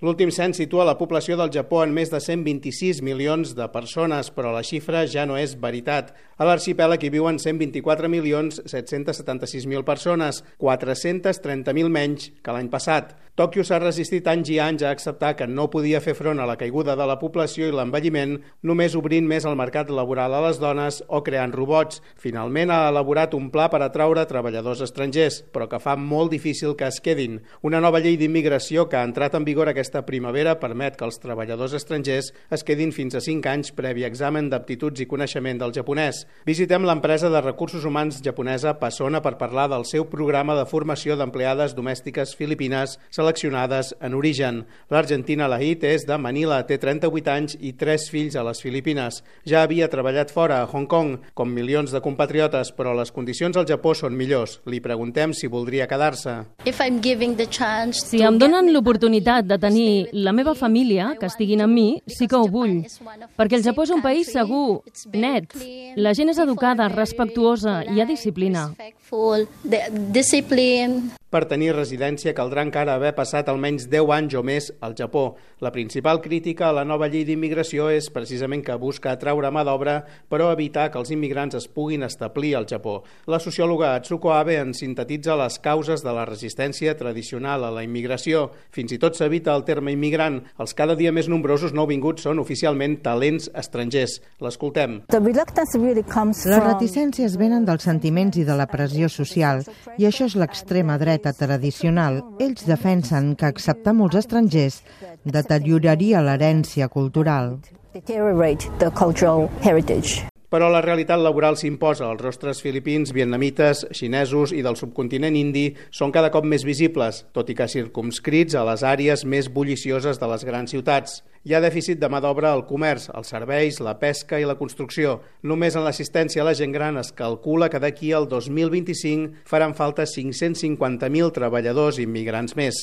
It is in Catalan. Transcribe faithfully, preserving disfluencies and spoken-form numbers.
L'últim cens situa la població del Japó en més de cent vint-i-sis milions de persones, però la xifra ja no és veritat. A l'arxipèlag hi viuen cent vint-i-quatre milions set-cents setanta-sis mil persones, quatre-cents trenta mil menys que l'any passat. Tòquio s'ha resistit anys i anys a acceptar que no podia fer front a la caiguda de la població i l'envelliment només obrint més el mercat laboral a les dones o creant robots. Finalment ha elaborat un pla per atraure treballadors estrangers, però que fa molt difícil que es quedin. Una nova llei d'immigració que ha entrat en vigor aquesta primavera permet que els treballadors estrangers es quedin fins a cinc anys previ examen d'aptituds i coneixement del japonès. Visitem l'empresa de recursos humans japonesa Pasona per parlar del seu programa de formació d'empleades domèstiques filipines seleccionades en origen. L'Argentina Lahit és de Manila, té trenta-vuit anys i tres fills a les Filipines. Ja havia treballat fora, a Hong Kong, com milions de compatriotes, però les condicions al Japó són millors. Li preguntem si voldria quedar-se. Si em donen l'oportunitat de tenir la meva família, que estiguin amb mi, sí que ho vull. Perquè el Japó és un país segur, net. La gent és educada, respectuosa, hi ha disciplina. Per tenir residència caldrà encara haver passat almenys deu anys o més al Japó. La principal crítica a la nova llei d'immigració és precisament que busca atraure mà d'obra, però evitar que els immigrants es puguin establir al Japó. La sociòloga Atsuko Abe en sintetitza les causes de la resistència tradicional a la immigració. Fins i tot s'evita el terme immigrant. Els cada dia més nombrosos nouvinguts són oficialment talents estrangers. L'escoltem. Les reticències venen dels sentiments i de la pressió social, i això és l'extrema dreta tradicional. Ells defensen que acceptar molts estrangers deterioraria l'herència cultural. Però la realitat laboral s'imposa. Els rostres filipins, vietnamites, xinesos i del subcontinent indi són cada cop més visibles, tot i que circumscrits a les àrees més bullicioses de les grans ciutats. Hi ha dèficit de mà d'obra al comerç, als serveis, la pesca i la construcció. Només en l'assistència a la gent gran es calcula que d'aquí al dos mil vint-i-cinc faran falta cinc-cents cinquanta mil treballadors immigrants més.